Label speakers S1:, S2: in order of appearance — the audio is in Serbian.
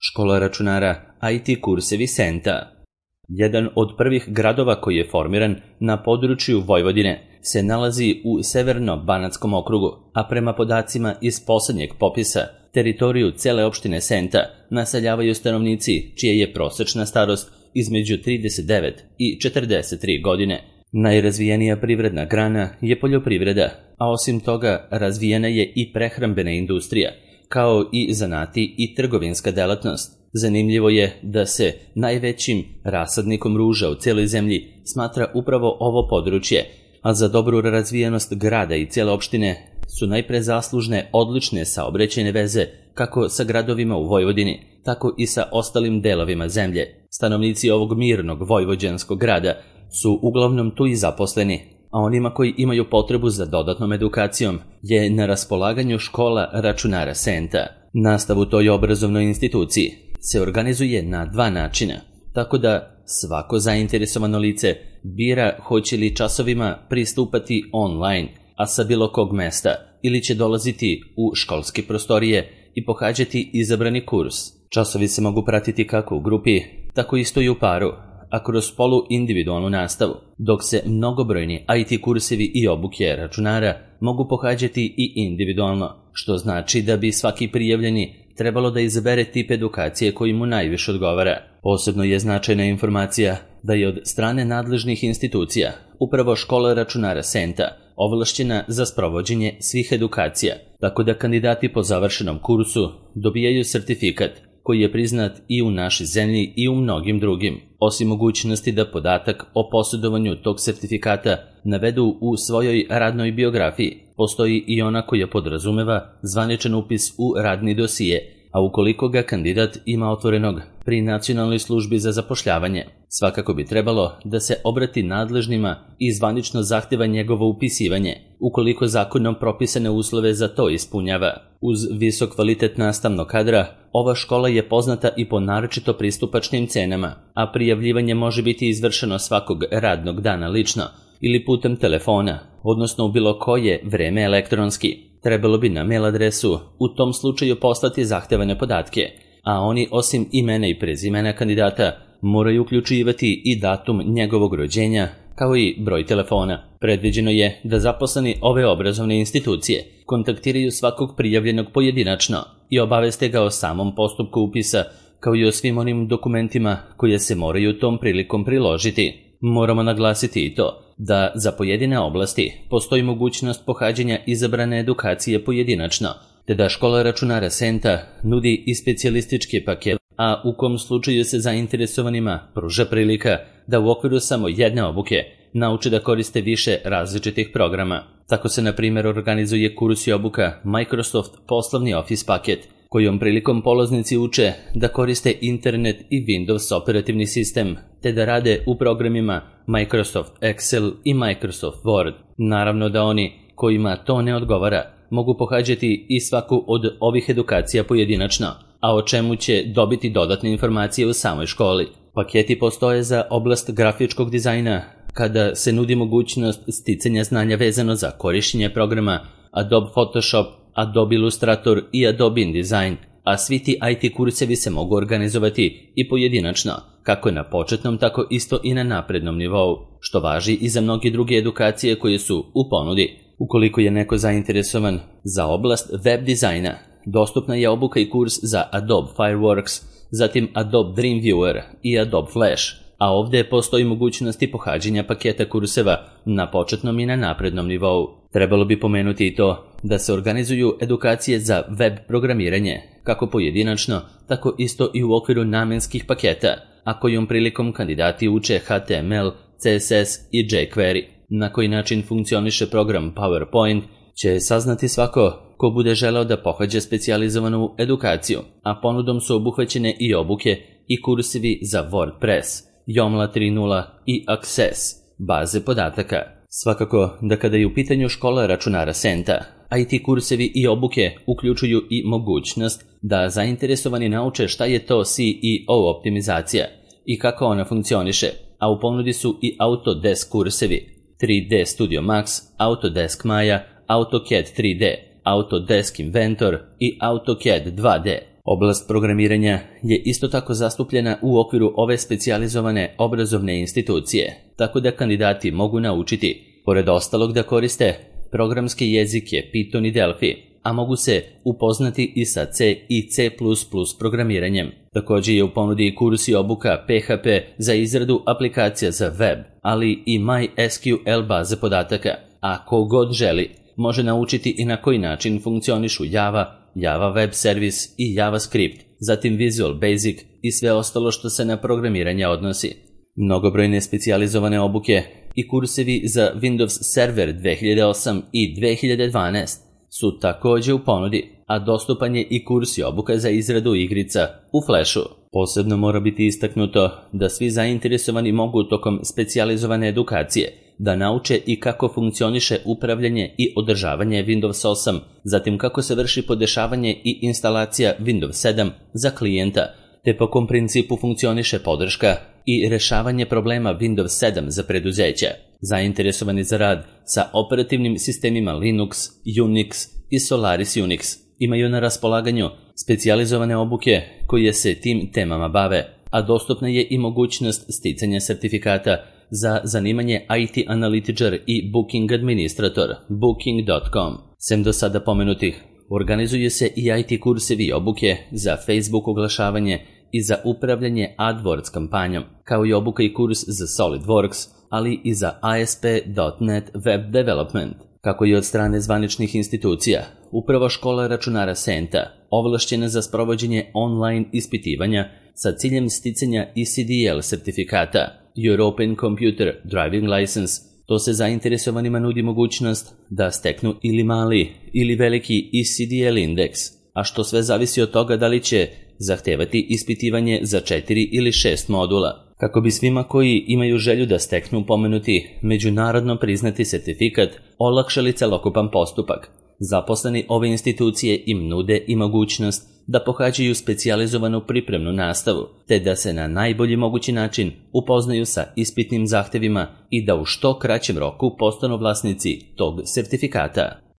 S1: Škola računara IT kursevi Senta. Jedan od prvih gradova koji je formiran na području Vojvodine se nalazi u Severno-Banatskom okrugu, a prema podacima iz posljednjeg popisa, teritoriju cele opštine Senta naseljavaju stanovnici čija je prosečna starost između 39 i 43 godine. Najrazvijenija privredna grana je poljoprivreda, a osim toga razvijena je i prehrambena industrija, kao i zanati i trgovinska delatnost. Zanimljivo je da se najvećim rasadnikom ruža u cijeloj zemlji smatra upravo ovo područje, a za dobru razvijenost grada i cijele opštine su najpre zaslužne odlične saobraćajne veze kako sa gradovima u Vojvodini, tako i sa ostalim delovima zemlje. Stanovnici ovog mirnog vojvođanskog grada su uglavnom tu i zaposleni, a onima koji imaju potrebu za dodatnom edukacijom je na raspolaganju škola računara Senta. Nastav u toj obrazovnoj instituciji se organizuje na dva načina, tako da svako zainteresovano lice bira hoće li časovima pristupati online, a sa bilo kog mesta, ili će dolaziti u školske prostorije i pohađati izabrani kurs. Časovi se mogu pratiti kako u grupi, tako isto i u paru, a kroz polu-individualnu nastavu, dok se mnogobrojni IT kursevi i obuke računara mogu pohađati i individualno, što znači da bi svaki prijavljeni trebalo da izabere tip edukacije koji mu najviše odgovara. Posebno je značajna informacija da je od strane nadležnih institucija upravo škola računara Senta ovlašćena za sprovođenje svih edukacija, tako da kandidati po završenom kursu dobijaju sertifikat koji je priznat i u našoj zemlji i u mnogim drugim. Osim mogućnosti da podatak o posjedovanju tog sertifikata navedu u svojoj radnoj biografiji, postoji i ona koja podrazumeva zvaničan upis u radni dosije, a ukoliko ga kandidat ima otvorenog pri Nacionalnoj službi za zapošljavanje, svakako bi trebalo da se obrati nadležnima i zvanično zahteva njegovo upisivanje, ukoliko zakonom propisane uslove za to ispunjava. Uz visok kvalitet nastavnog kadra, ova škola je poznata i po naročito pristupačnim cenama, a prijavljivanje može biti izvršeno svakog radnog dana lično ili putem telefona, odnosno u bilo koje vreme elektronski. Trebalo bi na mail adresu u tom slučaju poslati zahtevane podatke, a oni osim imena i prezimena kandidata moraju uključivati i datum njegovog rođenja, kao i broj telefona. Predviđeno je da zaposleni ove obrazovne institucije kontaktiraju svakog prijavljenog pojedinačno i obaveste ga o samom postupku upisa, kao i o svim onim dokumentima koje se moraju tom prilikom priložiti. Moramo naglasiti i to da za pojedine oblasti postoji mogućnost pohađanja izabrane edukacije pojedinačno, te da škola računara Senta nudi i specijalistički paket, a u kom slučaju se zainteresovanima pruža prilika da u okviru samo jedne obuke nauče da koriste više različitih programa. Tako se, na primjer, organizuje kurs i obuka Microsoft poslovni Office paket, kojom prilikom polaznici uče da koriste internet i Windows operativni sistem, te da rade u programima Microsoft Excel i Microsoft Word. Naravno da oni kojima to ne odgovara mogu pohađati i svaku od ovih edukacija pojedinačno, a o čemu će dobiti dodatne informacije u samoj školi. Paketi postoje za oblast grafičkog dizajna, kada se nudi mogućnost sticanja znanja vezano za korišćenje programa Adobe Photoshop, Adobe Illustrator i Adobe InDesign, a svi ti IT kursevi se mogu organizovati i pojedinačno, kako na početnom, tako isto i na naprednom nivou, što važi i za mnoge druge edukacije koje su u ponudi. Ukoliko je neko zainteresovan za oblast web dizajna, dostupna je obuka i kurs za Adobe Fireworks, zatim Adobe Dreamweaver i Adobe Flash, a ovdje postoji mogućnosti pohađanja paketa kurseva na početnom i na naprednom nivou. Trebalo bi pomenuti i to da se organizuju edukacije za web programiranje, kako pojedinačno, tako isto i u okviru namenskih paketa, a kojom prilikom kandidati uče HTML, CSS i jQuery. Na koji način funkcioniše program PowerPoint će saznati svako ko bude želeo da pohađa specijalizovanu edukaciju, a ponudom su obuhvaćene i obuke i kursevi za WordPress, Joomla 3.0 i Access, baze podataka. Svakako da kada je u pitanju škola računara Senta, IT kursevi i obuke uključuju i mogućnost da zainteresovani nauče šta je to CEO optimizacija i kako ona funkcioniše, a u ponudi su i Autodesk kursevi, 3D Studio Max, Autodesk Maya, AutoCAD 3D, Autodesk Inventor i AutoCAD 2D. Oblast programiranja je isto tako zastupljena u okviru ove specijalizovane obrazovne institucije, tako da kandidati mogu naučiti, pored ostalog, da koriste programske jezike Python i Delphi, a mogu se upoznati i sa C i C++ programiranjem. Također je u ponudi i kurs i obuka PHP za izradu aplikacija za web, ali i MySQL baze podataka, a ko god želi može naučiti i na koji način funkcionišu Java Web Service i JavaScript, zatim Visual Basic i sve ostalo što se na programiranje odnosi. Mnogobrojne specijalizovane obuke i kursevi za Windows Server 2008 i 2012 su također u ponudi, a dostupan je i kurs i obuka za izradu igrica u Flashu. Posebno mora biti istaknuto da svi zainteresovani mogu tokom specijalizovane edukacije da nauče i kako funkcioniše upravljanje i održavanje Windows 8, zatim kako se vrši podešavanje i instalacija Windows 7 za klijenta, te po kom principu funkcioniše podrška i rešavanje problema Windows 7 za preduzeća. Zainteresovani za rad sa operativnim sistemima Linux, Unix i Solaris Unix imaju na raspolaganju specijalizovane obuke koje se tim temama bave, a dostupna je i mogućnost sticanja sertifikata za zanimanje IT analitičar i Booking administrator, Booking.com. Sem do sada pomenutih, organizuje se i IT kursevi i obuke za Facebook oglašavanje i za upravljanje AdWords kampanjom, kao i obuka i kurs za SolidWorks, ali i za ASP.NET Web Development. Kako i od strane zvaničnih institucija, upravo škola računara Senta, ovlašćena za sprovođenje online ispitivanja sa ciljem sticanja ECDL sertifikata, European Computer Driving License, to se zainteresovanima nudi mogućnost da steknu ili mali ili veliki ECDL indeks, a što sve zavisi od toga da li će zahtevati ispitivanje za 4 ili 6 modula. Kako bi svima koji imaju želju da steknu pomenuti međunarodno priznati sertifikat olakšali celokupan postupak, zaposleni ove institucije im nude i mogućnost da pohađaju specijalizovanu pripremnu nastavu, te da se na najbolji mogući način upoznaju sa ispitnim zahtevima i da u što kraćem roku postanu vlasnici tog sertifikata.